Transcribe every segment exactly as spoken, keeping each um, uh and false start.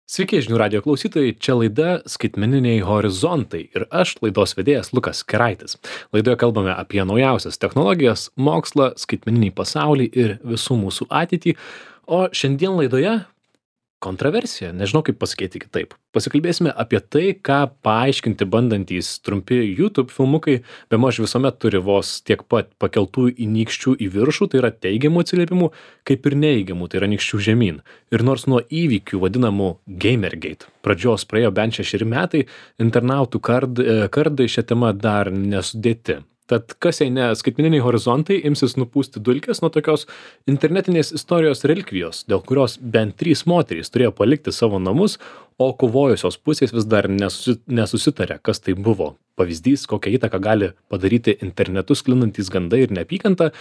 Sveiki, žinių radio klausytojai, čia laida Skaitmeniniai horizontai ir aš, laidos vedėjas Lukas Keraitis. Laidoje kalbame apie naujausias technologijas, mokslą, skaitmeninį pasaulį ir visų mūsų ateitį, o šiandien laidoje kontroversija, nežinau kaip pasakyti kitaip. Pasikalbėsime apie tai, ką paaiškinti bandantys trumpi YouTube filmukai, bemaž visuomet turi vos tiek pat pakeltų įnykščių į viršų, tai yra teigiamų atsiliepimų, kaip ir neigiamų, tai yra nykščių žemyn. Ir nors nuo įvykių vadinamų Gamergate pradžios praėjo bent šešeri metai, internautų kard, kardai šią temą dar nesudėti. Tad kas jei ne skaitmeniniai horizontai imsis nupūsti dulkes nuo tokios internetinės istorijos relikvijos, dėl kurios bent trys moterys turėjo palikti savo namus, o kovojusios pusės vis dar nesusi, nesusitarė, kas tai buvo. Pavyzdys, kokią įtaką gali padaryti internetu sklindantis gandai ir neapykanta,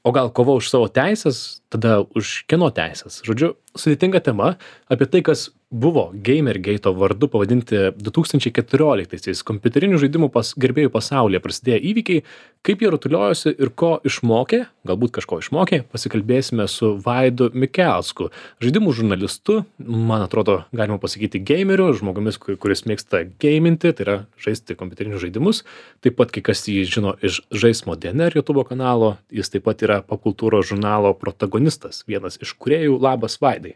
o gal kova už savo teisės, tada už kieno teisės. Žodžiu, sudėtinga tema apie tai, kas buvo Gamergate'o vardu pavadinti du tūkstančiai keturioliktaisiais kompiuterinių žaidimų pas, gerbėjų pasaulyje prasidėję įvykiai, kaip jie rutuliojosi ir ko išmokė, galbūt kažko išmokė, pasikalbėsime su Vaidu Mikelsku, žaidimų žurnalistu, man atrodo, galima pasakyti gameriu, žmogumis, kuris mėgsta gaminti, tai yra žaisti kompiuterinius žaidimus, taip pat kai kas jį žino iš Žaismo D N R YouTube kanalo, jis taip pat yra popkultūros žurnalo protagonistas, vienas iš kūrėjų. Labas, Vaidai.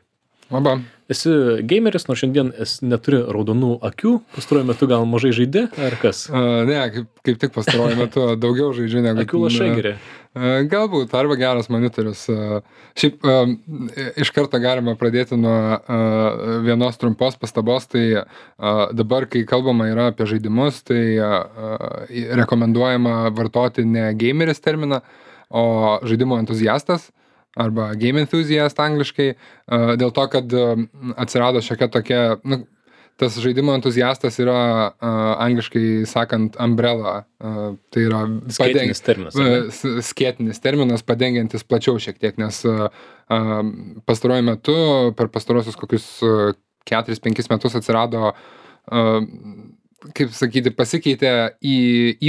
Labą. Esi gameris, nors šiandien esi neturi raudonų akių, pastaruoju metu gal mažai žaidi, ar kas? Uh, ne, kaip, kaip tik pastaruoju metu daugiau žaidžiu negu... Akių lašai geri. Uh, galbūt, arba geras monitorius. Uh, šiaip uh, iš karto galima pradėti nuo uh, vienos trumpos pastabos, tai uh, dabar, kai kalbama yra apie žaidimus, tai uh, rekomenduojama vartoti ne gameris terminą, o žaidimo entuziastas arba game enthusiast angliškai, uh, dėl to, kad uh, atsirado šiokia tokia, nu, tas žaidimo entuziastas yra uh, angliškai sakant umbrella, uh, tai yra skėtinis terminas, uh, skėtinis terminas, padengiantis plačiau šiek tiek, nes uh, uh, pastaruoju metu, per pastarosius kokius uh, keturis penkis metus atsirado, uh, kaip sakyti, pasikeitė į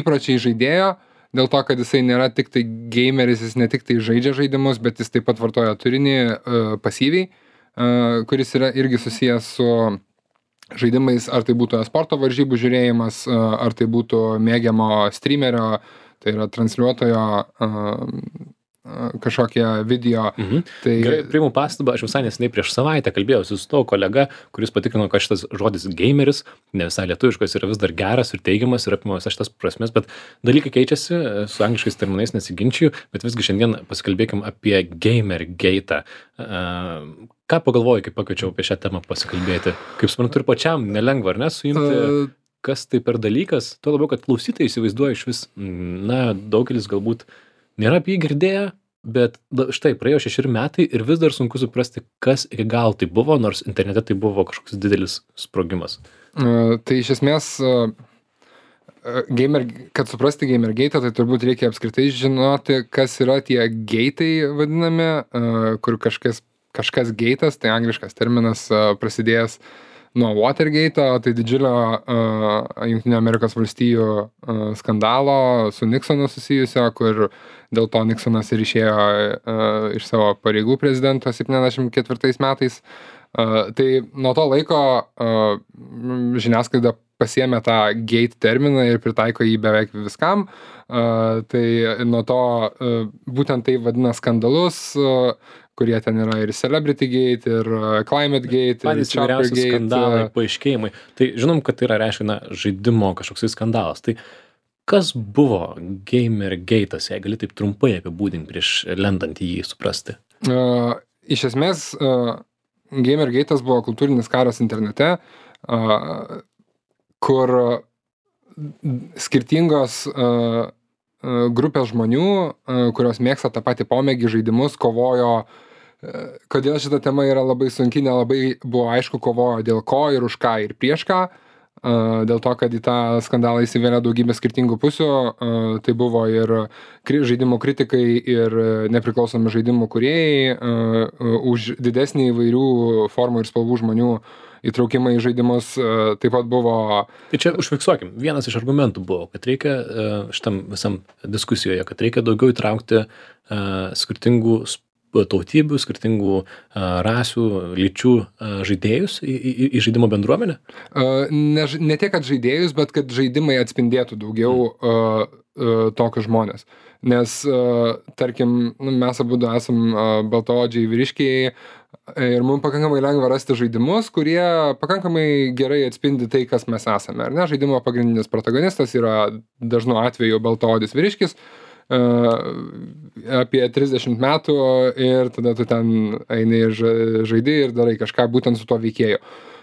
įpročiai žaidėjo, dėl to, kad jisai nėra tik tai gameris, jis ne tik tai žaidžia žaidimus, bet jis taip pat vartoja turinį uh, pasyviai, uh, kuris yra irgi susijęs su žaidimais, ar tai būtų sporto varžybų žiūrėjimas, uh, ar tai būtų mėgiamo streamerio, tai yra transliuotojo uh, kažkokie video. Mhm. Tai... Gerai, priimu pastabą, aš visai neseniai prieš savaitę kalbėjausi su tavo kolega, kuris patikrino, kad šitas žodis gameris, ne visai lietuviškas, yra vis dar geras ir teigiamas ir apima visas šitas prasmes, bet dalykai keičiasi, su angliškais terminais nesiginčiju, bet visgi šiandien pasikalbėkim apie Gamergate'ą. Uh, ką pagalvojai, kai pakviečiau apie šią temą pasikalbėti? Kaip suprantu, ir pačiam nelengva, ar ne, suimti, uh... kas tai per dalykas? Tuo labiau, kad klausytojai įsivaizduoja iš vis, na, daugelis galbūt nėra apie jį girdėję, bet štai praėjo šešeri metai ir vis dar sunku suprasti, kas iki gal tai buvo, nors internete tai buvo kažkoks didelis sprogimas. Uh, tai iš esmės, uh, gamer, kad suprasti Gamergate'ą, tai turbūt reikia apskritai žinoti, kas yra tie gate'ai vadinami, uh, kur kažkas, kažkas gate'as, tai angliškas terminas, uh, prasidėjęs nuo Watergate'o, tai didžiulio uh, Jungtinių Amerikos valstijų uh, skandalo su Nixonu susijusio, kur dėl to Nixonas ir išėjo uh, iš savo pareigų prezidento septyniasdešimt ketvirtais metais. Uh, tai nuo to laiko uh, žiniasklaida pasiėmė tą gate terminą ir pritaiko jį beveik viskam. Uh, tai nuo to uh, būtent tai vadina skandalus, uh, kurie ten yra ir Celebrity Gate, ir Climate Gate, patys ir Chopper Gate. Skandalai, paaiškėjimai. Tai žinom, kad tai yra, reiškia, na, žaidimo kažkoks skandalas. Tai kas buvo Gamergate'as, jei gali taip trumpai apibūdinti prieš lendant į jį suprasti? Uh, iš esmės, uh, Gamergate'as buvo kultūrinis karas internete, uh, kur skirtingos uh, grupės žmonių, kurios mėgsta tą patį pomėgį žaidimus, kovojo, kodėl šita tema yra labai sunki, nelabai buvo aišku, kovojo dėl ko ir už ką ir prieš ką, dėl to, kad į tą skandalą įsivėlė daugybė skirtingų pusių, tai buvo ir žaidimų kritikai ir nepriklausomi žaidimų kūrėjai, už didesnį įvairių formų ir spalvų žmonių įtraukimą į žaidimus taip pat buvo... Tai čia užfiksuokim, vienas iš argumentų buvo, kad reikia šitam visam diskusijoje, kad reikia daugiau įtraukti uh, skirtingų tautybių, skirtingų a, rasių, lyčių a, žaidėjus į, į, į žaidimo bendruomenę? Uh, ne, ž- ne tiek, kad žaidėjus, bet kad žaidimai atspindėtų daugiau uh, uh, tokius žmonės. Nes, uh, tarkim, nu, mes abu esam uh, baltaodžiai vyriškiai ir mums pakankamai lengva rasti žaidimus, kurie pakankamai gerai atspindi tai, kas mes esame. Ar ne? Žaidimo pagrindinis protagonistas yra dažnu atveju baltaodis vyriškis, uh, apie trisdešimt metų ir tada tu ten eini ir ža- žaidi ir darai kažką būtent su tuo veikėju.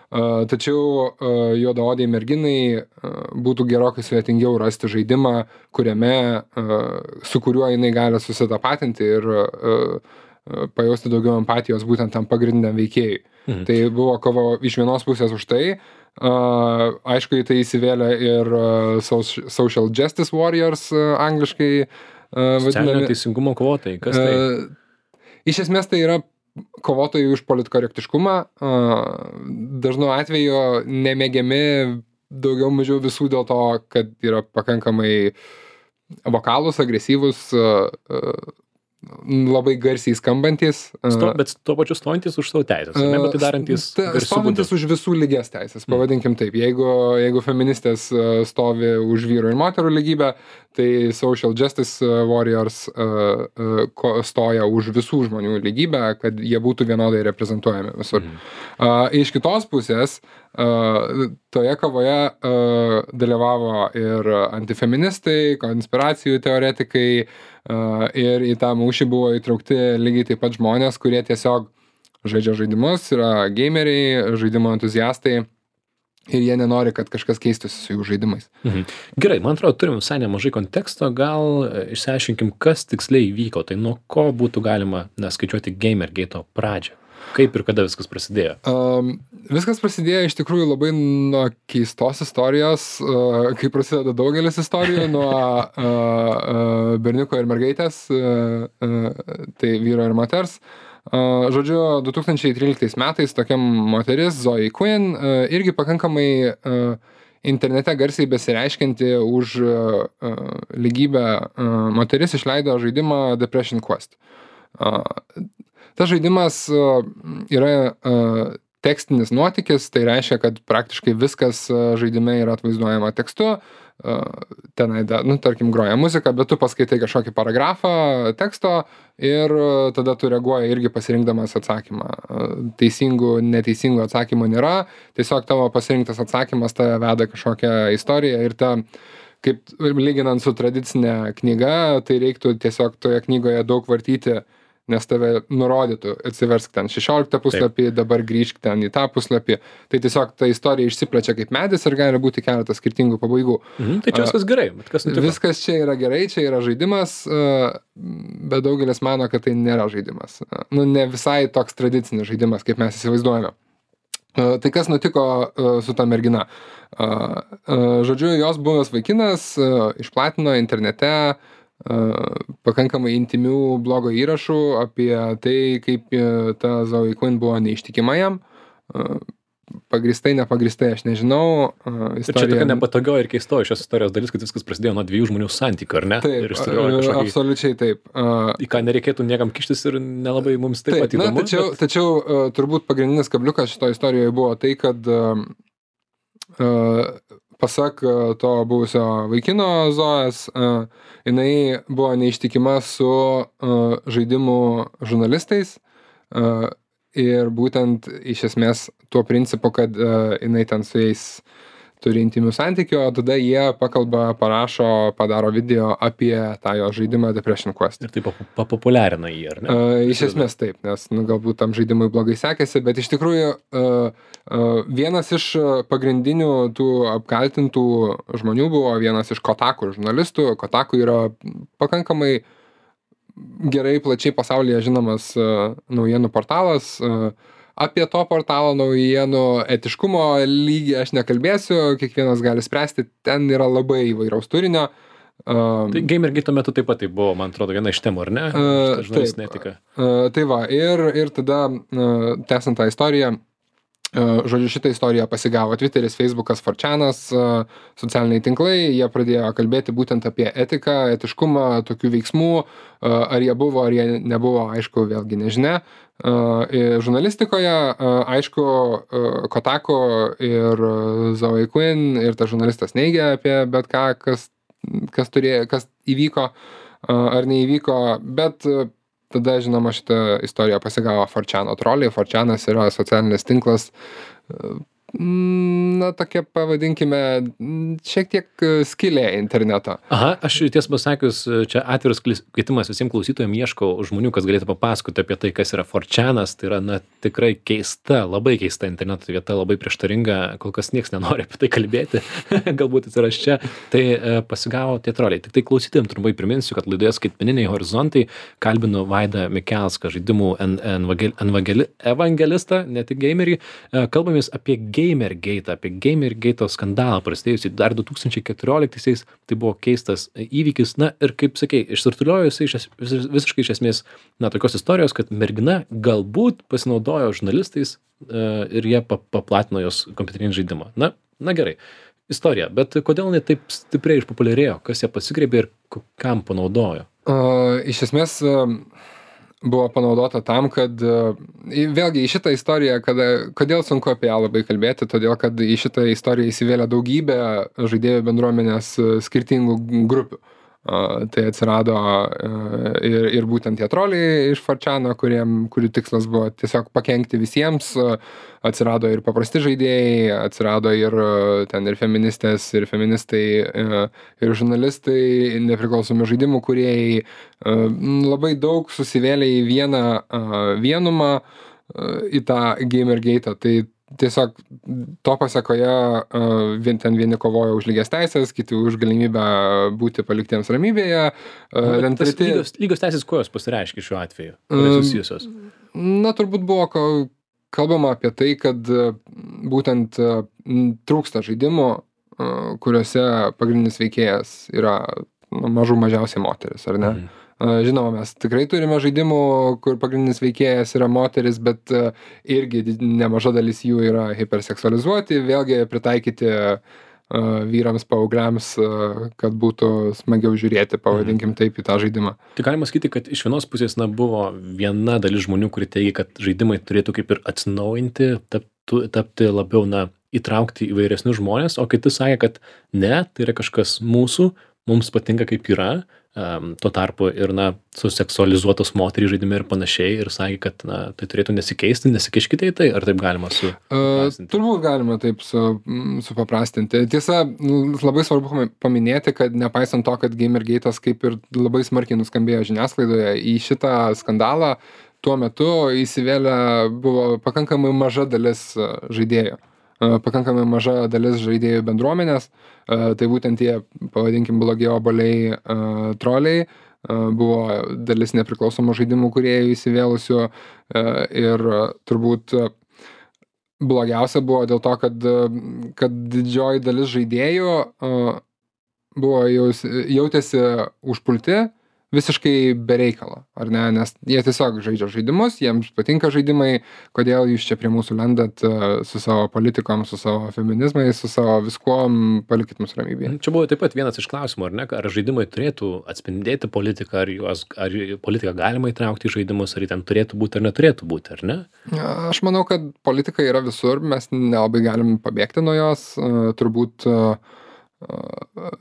Uh, tačiau uh, juodaodei merginai uh, būtų gerokai sudėtingiau rasti žaidimą, kuriame, uh, su kuriuo jinai gali susitapatinti ir uh, uh, pajausti daugiau empatijos būtent tam pagrindiniam veikėjui. Mhm. Tai buvo kova iš vienos pusės už tai. Uh, aišku, į tai įsivėlė ir uh, soc- Social Justice Warriors, uh, angliškai uh, Socialinio vadinami. teisingumo kovotojai, kas tai? Uh, Iš esmės tai yra kovotojai už politkorektiškumą, uh, dažnu atveju nemėgiami daugiau mažiau visų dėl to, kad yra pakankamai vokalūs, agresyvūs, uh, uh, labai garsiai skambantis. uh, Sto, bet tuo pačiu stojantis už savo teisės, ar ne, bet tai darantys Ta- garsiu stovintis būdu. už visų lygias teisės, pavadinkim taip. Jeigu, jeigu feministės uh, stovi už vyrų ir moterų lygybę, tai Social Justice uh, Warriors uh, uh, ko- stoja už visų žmonių lygybę, kad jie būtų vienodai reprezentuojami visur. Mhm. Uh, iš kitos pusės, uh, toje kovoje uh, dalyvavo ir antifeministai, konspiracijų teoretikai, uh, ir į tą mūšį buvo įtraukti lygiai taip pat žmonės, kurie tiesiog žaidžia žaidimus, yra gameriai, žaidimo entuziastai ir jie nenori, kad kažkas keistųsi su jų žaidimais. Mhm. Gerai, man atrodo, turim visai nemažai konteksto, gal e, išsiaiškinkim, kas tiksliai įvyko, tai nuo ko būtų galima na, skaičiuoti Gamergate'o pradžią. Kaip ir kada viskas prasidėjo? Um, viskas prasidėjo iš tikrųjų labai nuo keistos istorijos, uh, kai prasideda daugelis istorijų, nuo uh, uh, berniuko ir mergaitės, uh, uh, tai vyro ir moters. Uh, žodžiu, du tūkstančiai tryliktais metais tokia moteris, Zoe Quinn, uh, irgi pakankamai uh, internete garsiai besireiškianti už uh, uh, lygybę uh, moteris išleido žaidimą Depression Quest. Uh, Tas žaidimas uh, yra uh, tekstinis nuotykis, tai reiškia, kad praktiškai viskas uh, žaidime yra atvaizduojama tekstu, uh, tenai, da, nu, tarkim, groja muzika, bet tu paskaitai kažkokį paragrafą teksto ir uh, tada tu reaguoji irgi pasirinkdamas atsakymą. Uh, teisingų, neteisingų atsakymų nėra, tiesiog tavo pasirinktas atsakymas tave veda kažkokią istoriją ir ta, kaip lyginant su tradicinė knyga, tai reiktų tiesiog toje knygoje daug vartyti, nes tave nurodytų, atsiversk ten šešioliktą puslapį, Taip. Dabar grįžk ten į tą puslapį. Tai tiesiog ta istorija išsiplečia kaip medis ir gali būti keletas skirtingų pabaigų. Mhm, tai čia viskas gerai, bet kas nutiko? Viskas čia yra gerai, čia yra žaidimas, bet daugelis mano, kad tai nėra žaidimas. Nu, ne visai toks tradicinis žaidimas, kaip mes įsivaizduojame. Tai kas nutiko su ta mergina? Žodžiu, jos buvęs vaikinas išplatino internete pakankamai intimių blogo įrašų apie tai, kaip ta Zoe Quinn buvo neištikima jam. Pagrįstai, nepagristai, aš nežinau. Istorija... Ir čia tokia nepatogio ir keisto šios istorijos dalis, kad viskas prasidėjo nuo dviejų žmonių santykių, ar ne? Taip, kažkokį... absoliučiai taip. Į ką nereikėtų niekam kištis ir nelabai mums taip, taip pat įdomu. Na, tačiau, bet... tačiau uh, turbūt pagrindinis kabliukas šito istorijoje buvo tai, kad uh, uh, pasak uh, to buvusio vaikino Zojas, uh, jinai buvo neištikima su uh, žaidimų žurnalistais uh, ir būtent iš esmės tuo principu, kad uh, jinai ten su jais turi intimių santykių, o tada jie pakalba, parašo, padaro video apie tą jo žaidimą Depression Quest. Ir taip papopuliarina jį, ar ne? Uh, iš esmės taip, nes nu, galbūt tam žaidimui blogai sekėsi, bet iš tikrųjų uh, uh, vienas iš pagrindinių tų apkaltintų žmonių buvo vienas iš Kotaku žurnalistų. Kotaku yra pakankamai gerai plačiai pasaulyje žinomas uh, naujienų portalas. Uh, Apie to portalo naujienų etiškumo lygį aš nekalbėsiu, kiekvienas gali spręsti, ten yra labai įvairaus turinio. Um, tai Gamergate metu taip pat tai buvo, man atrodo, viena iš temų, ar ne? Uh, taip, netika. Uh, tai va, ir, ir tada, uh, tęsant tą istoriją, Žodžiu, šitą istoriją pasigavo Twitteris, Facebookas, four chanas, socialiniai tinklai, jie pradėjo kalbėti būtent apie etiką, etiškumą tokių veiksmų, ar jie buvo, ar jie nebuvo, aišku, vėlgi nežinia. Žurnalistikoje, aišku, Kotaku ir Zoe Quinn ir tas žurnalistas neigia apie bet ką, kas, kas, turėjo, kas įvyko ar neįvyko, bet tada, žinoma, šitą istoriją pasigavo four chano troliai. four chanas yra socialinis tinklas, na, tokia, pavadinkime, šiek tiek skylė interneto. Aha, aš tiesą pasakius, čia atviras kvietimas visiems klausytojams, ieškau žmonių, kas galėtų papasakoti apie tai, kas yra four chanas. Tai yra, na, tikrai keista, labai keista interneto vieta, labai prieštaringa, kol kas nieks nenori apie tai kalbėti, galbūt atsiras čia. Tai e, pasigavo tie troliai. Tik tai klausytojams trumpai priminsiu, kad laidoje Skaitmeniniai horizontai kalbinu Vaidą Mikelską, žaidimų en, evangel, evangeli, evangelistą, ne tik gamerį. E, kalbamės apie Gamergate, apie Gamergate skandalą prasidėjusį dar du tūkstančiai keturioliktaisiais. Tai buvo keistas įvykis. Na ir kaip sakei, išsirtuliojo jisai iš, vis, visiškai iš esmės, na, tokios istorijos, kad mergina galbūt pasinaudojo žurnalistais uh, ir jie paplatino jos kompiuterinį žaidimą. Na, na gerai, istorija, bet kodėl jinai taip stipriai išpopuliarėjo, kas ją pasigriebė ir kam panaudojo? Uh, iš esmės uh... buvo panaudota tam, kad vėlgi į šitą istoriją, kada, kodėl sunku apie ją labai kalbėti, todėl kad į šitą istoriją įsivėlė daugybė žaidėjų bendruomenės skirtingų grupių. Tai atsirado ir, ir būtent tie troliai iš four chano, kuriem, kurių tikslas buvo tiesiog pakenkti visiems, atsirado ir paprasti žaidėjai, atsirado ir ten ir feministės, ir feministai, ir žurnalistai, nepriklausomi žaidimų kūrėjai, labai daug susivėlė į vieną vienumą, į tą Gamergate. Tai tiesiog to pasekoje vien ten vieni kovojo už lygias teisės, kiti už galimybę būti paliktiems ramybėje. Na, treti... lygios, lygios teisės kuo jos pasireiškia šiuo atveju? Kuo susijusios? Na, turbūt buvo kalbama apie tai, kad būtent trūksta žaidimų, kuriuose pagrindinis veikėjas yra mažų mažiausiai moteris, ar ne? Mhm. Žinoma, mes tikrai turime žaidimų, kur pagrindinis veikėjas yra moteris, bet irgi nemaža dalis jų yra hiperseksualizuoti, vėlgi pritaikyti vyrams, paaugliams, kad būtų smagiau žiūrėti, pavadinkim taip, į tą žaidimą. Tai galima sakyti, kad iš vienos pusės, na, buvo viena dalis žmonių, kuri teigia, kad žaidimai turėtų kaip ir atsinaujinti, tapti, tapti labiau, na, įtraukti įvairesnius žmonės, o kiti sakė, kad ne, tai yra kažkas mūsų, mums patinka kaip yra, um, tuo tarpu ir, na, suseksualizuotos moterys žaidime ir panašiai, ir sakė, kad, na, tai turėtų nesikeisti, nesikiškite į tai, ar taip galima su... Uh, turbūt galima taip su, supaprastinti. Tiesa, labai svarbu paminėti, kad nepaisant to, kad Gamergate'as kaip ir labai smarkiai nuskambėjo žiniasklaidoje, į šitą skandalą tuo metu įsivėlė buvo pakankamai maža dalis žaidėjų. pakankamai maža dalis žaidėjų bendruomenės, tai būtent tie, pavadinkim, blogi obuoliai troliai, buvo dalis nepriklausomų žaidimų kūrėjų įsivėlusių ir turbūt blogiausia buvo dėl to, kad, kad didžioji dalis žaidėjų buvo jaus, jautėsi užpulti visiškai be reikalo, ar ne, nes jie tiesiog žaidžia žaidimus, jiems patinka žaidimai, kodėl jūs čia prie mūsų lendat su savo politikom, su savo feminizmais, su savo viskuom, palikit mus ramybėje. Čia buvo taip pat vienas iš klausimų, ar ne, ar žaidimai turėtų atspindėti politiką, ar, juos, ar politiką galima įtraukti į žaidimus, ar ten turėtų būti ar neturėtų būti, ar ne? Aš manau, kad politika yra visur, mes nelabai galim pabėgti nuo jos, turbūt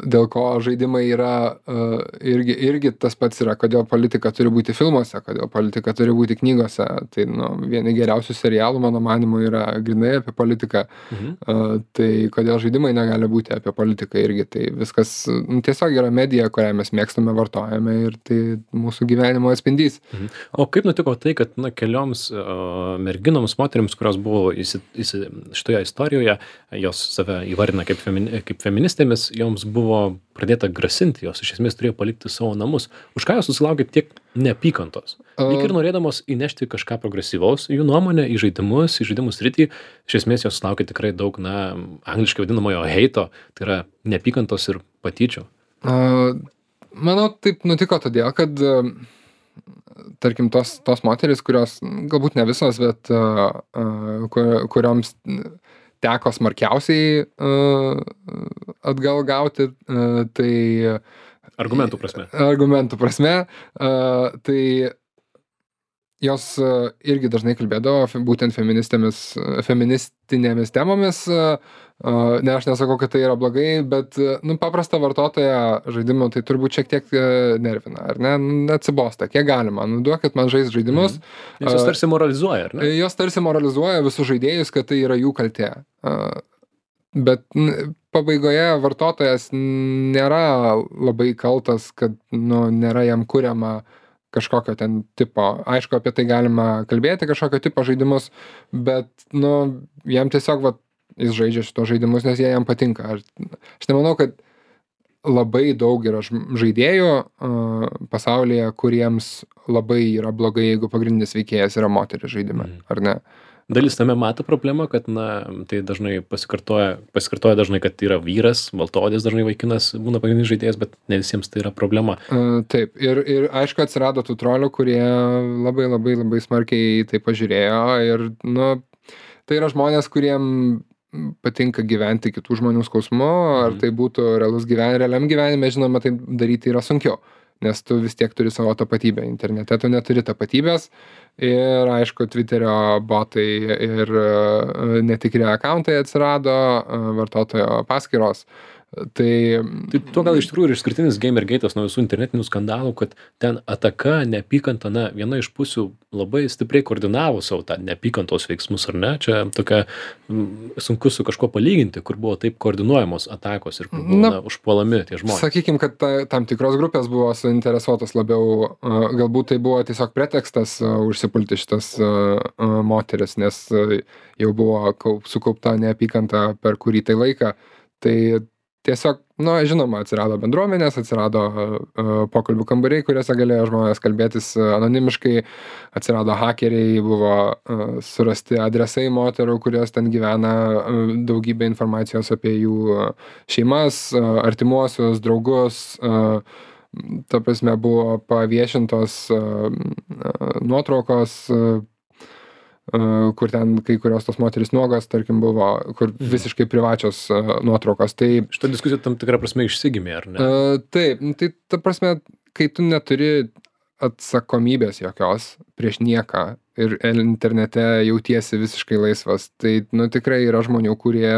dėl ko žaidimai yra irgi, irgi tas pats yra, kodėl politika turi būti filmuose, kodėl politika turi būti knygose. Tai nu, vieni geriausių serialų, mano manimu, yra grynai apie politiką. Mhm. Tai kodėl žaidimai negali būti apie politiką irgi. Tai viskas nu, tiesiog yra medija, kurią mes mėgstame, vartojame ir tai mūsų gyvenimo atspindys. Mhm. O kaip nutiko tai, kad na, kelioms uh, merginoms, moterims, kurios buvo įsi, įsi, šitoje istorijoje, jos save įvardina kaip, femini, kaip feministė, joms buvo pradėta grasinti, jos iš esmės turėjo palikti savo namus. Už ką jos susilaukė tiek neapykantos? Lyg ir norėdamos įnešti kažką progresyvaus, jų nuomonę į žaidimus, į žaidimų sritį, iš esmės jos susilaukė tikrai daug, na, angliškai vadinamojo heito, tai yra neapykantos ir patyčių. Uh, manau, taip nutiko todėl, kad uh, tarkim, tos, tos moterys, kurios, galbūt ne visos, bet uh, uh, kur, kurioms teko smarkiausiai uh, atgal gauti, uh, tai... Argumentų prasme. Argumentų prasme, uh, tai jos uh, irgi dažnai kalbėdavo būtent feministėmis, feministinėmis temomis. Uh, ne, aš nesakau, kad tai yra blogai, bet nu, paprastą vartotoją žaidimų tai turbūt šiek tiek nervina, ar ne? Atsibosta, kiek galima. Nu, duokit man žaisti žaidimus. Mhm. Nes jos tarsi moralizuoja, ar ne? Jos tarsi moralizuoja visus žaidėjus, kad tai yra jų kaltė. Bet pabaigoje vartotojas nėra labai kaltas, kad nu, nėra jam kuriama kažkokio ten tipo. Aišku, apie tai galima kalbėti, kažkokio tipo žaidimus, bet nu, jam tiesiog va, jis žaidžia šitos žaidimus, nes jie jam patinka. Aš, aš nemanau, kad labai daug yra žaidėjų uh, pasaulyje, kuriems labai yra blogai, jeigu pagrindinis veikėjas yra moteris žaidime, mm. ar ne? Dalis tame mato problemą, kad na, tai dažnai pasikartoja, pasikartoja dažnai, kad yra vyras, baltaodis dažnai vaikinas būna pagrindinis žaidėjas, bet ne visiems tai yra problema. Uh, taip, ir, ir aišku atsirado tų trolių, kurie labai labai labai smarkiai tai pažiūrėjo ir nu, tai yra žmonės, kuriem patinka gyventi kitų žmonių skausmu, ar tai būtų realus gyven, realiam gyvenime, žinoma, tai daryti yra sunkiau, nes tu vis tiek turi savo tapatybę. Internete tu neturi tapatybės ir, aišku, Twitterio botai ir netikri akauntai atsirado, vartotojo paskyros. Tai, tai to gal iš tikrųjų ir išskirtinis Gamergate'as nuo visų internetinių skandalų, kad ten ataka, neapykanta, na, viena iš pusių labai stipriai koordinavo savo tą neapykantos veiksmus, ar ne? Čia tokia m, sunku su kažko palyginti, kur buvo taip koordinuojamos atakos ir kur buvo na, na, užpuolami tie žmonės. Sakykim, kad ta, tam tikros grupės buvo suinteresuotos labiau, uh, galbūt tai buvo tiesiog pretekstas uh, užsipulti šitas uh, uh, moteris, nes uh, jau buvo kaup, sukaupta neapykanta per kurį tai laiką. Tai tiesiog, nu, žinoma, atsirado bendruomenės, atsirado uh, pokalbių kambariai, kuriuose galėjo žmonės kalbėtis uh, anonimiškai, atsirado hakeriai, buvo uh, surasti adresai moterų, kurios ten gyvena, uh, daugybė informacijos apie jų uh, šeimas, uh, artimuosius, draugus, uh, ta prasme buvo paviešintos uh, uh, nuotraukos, uh, Uh, kur ten kai kurios tos moterys nuogos, tarkim, buvo, kur visiškai privačios uh, nuotraukos. Tai šita diskusija tam tikrą prasme išsigimė, ar ne? Uh, taip, tai ta prasme, kai tu neturi atsakomybės jokios prieš nieką ir internete jautiesi visiškai laisvas, tai, nu, tikrai yra žmonių, kurie,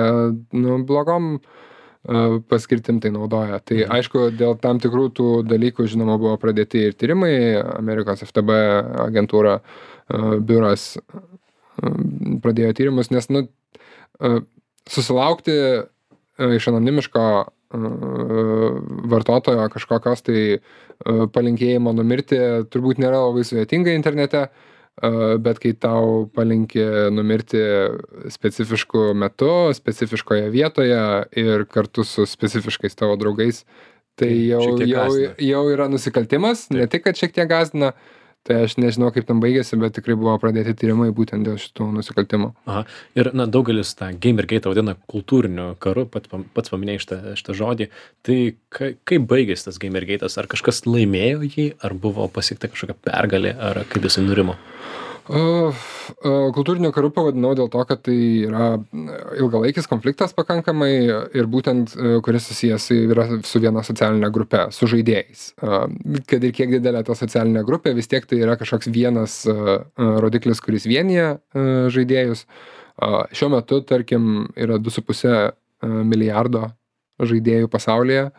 nu, blogom uh, paskirtim tai naudoja. Tai, mhm. aišku, dėl tam tikrų tų dalykų, žinoma, buvo pradėti ir tyrimai, Amerikos F T B agentūra, uh, biuras pradėjo tyrimus, nes nu, susilaukti iš anonimiško vartotojo kažkokios tai palinkėjimo numirti turbūt nėra labai sudėtinga internete, bet kai tau palinkė numirti specifišku metu, specifiškoje vietoje ir kartu su specifiškais tavo draugais, tai jau, jau, jau yra nusikaltimas. Taip. Ne tik, kad šiek tiek gąsdina. Tai aš nežinau, kaip tam baigėsi, bet tikrai buvo pradėti tyrimai būtent dėl šitų nusikaltimų. Aha. Ir, na, daugelis tą Gamergate vadina kultūriniu karu, pats, pats paminėjai šitą, šitą žodį. Tai ka, kaip baigėsi tas Gamergate'as? Ar kažkas laimėjo jį, ar buvo pasiekta kažkokia pergalė, ar kaip jisai nurimo? Uh, uh, kultūriniu karu pavadinau dėl to, kad tai yra ilgalaikis konfliktas pakankamai ir būtent, uh, kuris susijęs yra su viena socialinė grupė, su žaidėjais. Uh, kad ir kiek didelė ta socialinė grupė, vis tiek tai yra kažkoks vienas uh, rodiklis, kuris vienyje uh, žaidėjus. Uh, šiuo metu, tarkim, yra du su puse uh, milijardo žaidėjų pasaulyje,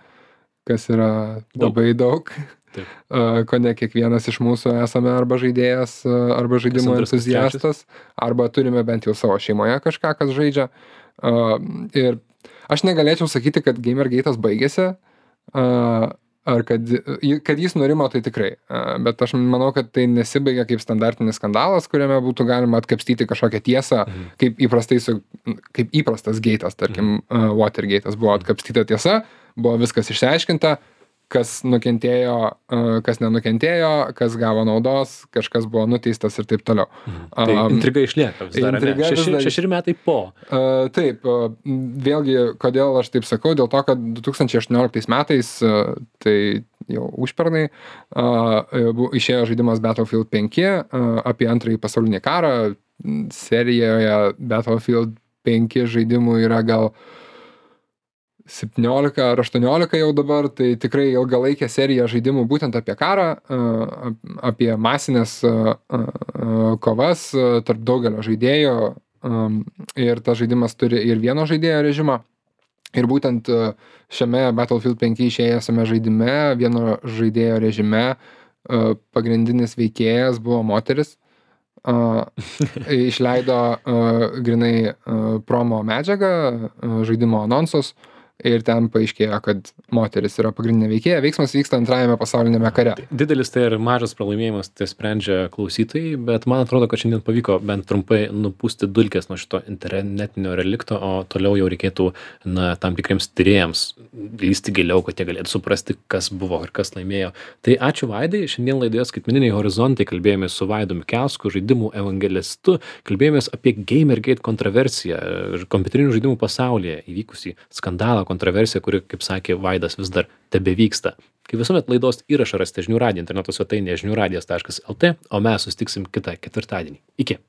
kas yra labai daug. daug. Uh, ko ne kiekvienas iš mūsų esame arba žaidėjas, uh, arba žaidimo entuziastas, arba turime bent jau savo šeimoje kažką, kas žaidžia. Uh, ir aš negalėčiau sakyti, kad Gamergate'as baigėsi, uh, ar kad, kad jis nurimo, tai tikrai. Uh, bet aš manau, kad tai nesibaigia kaip standartinis skandalas, kuriame būtų galima atkapstyti kažkokią tiesą, mhm. kaip, įprastai su, kaip įprastas gate'as, tarkim, uh, Watergate'as buvo atkapstyta tiesa, buvo viskas išsiaiškinta, kas nukentėjo, kas nenukentėjo, kas gavo naudos, kažkas buvo nuteistas ir taip toliau. Mhm. Tai um, intriga išlieka vis dar, intriga Šeši, vis dar... šešeri metai po. Uh, taip, uh, vėlgi, kodėl aš taip sakau, dėl to, kad du tūkstančiai aštuonioliktais metais uh, tai jau užpernai, išėjo žaidimas Battlefield penki apie antrąjį pasaulinį karą. Serijoje Battlefield penki žaidimų yra gal septyniolika ar aštuoniolika jau dabar, tai tikrai ilgalaikė serija žaidimų būtent apie karą, apie masinės kovas tarp daugelio žaidėjų, ir tas žaidimas turi ir vieno žaidėjo režimą. Ir būtent šiame Battlefield penki išėjusiame žaidime, vieno žaidėjo režime, pagrindinis veikėjas buvo moteris. Išleido grinai promo medžiagą, žaidimo anonsus. Ir ten paaiškėjo, kad moteris yra pagrindinė veikėja. Veiksmas vyksta antrajame pasaulinėme kare. Didelis tai ir mažas pralaimėjimas, tai sprendžia klausytojai, bet man atrodo, kad šiandien pavyko bent trumpai nupūsti dulkes nuo šito internetinio relikto, o toliau jau reikėtų na, tam tikriems tyrėjams lysti giliau, kad jie galėtų suprasti, kas buvo ir kas laimėjo. Tai ačiū Vaidai. Šiandien laidoje Skaitmeniniai horizontai kalbėjomės su Vaidu Mikelsku, žaidimų evangelistu, kalbėjomės apie Gamergate kontroversiją ir kompiuterinių žaidimų pasaulyje įvykusį skandalą, kontroversija, kuri, kaip sakė Vaidas, vis dar tebevyksta. Kaip visuomet laidos įrašą rasite žinių radijo interneto svetainėje žinių radijas taškas lt, o mes susitiksim kitą ketvirtadienį. Iki.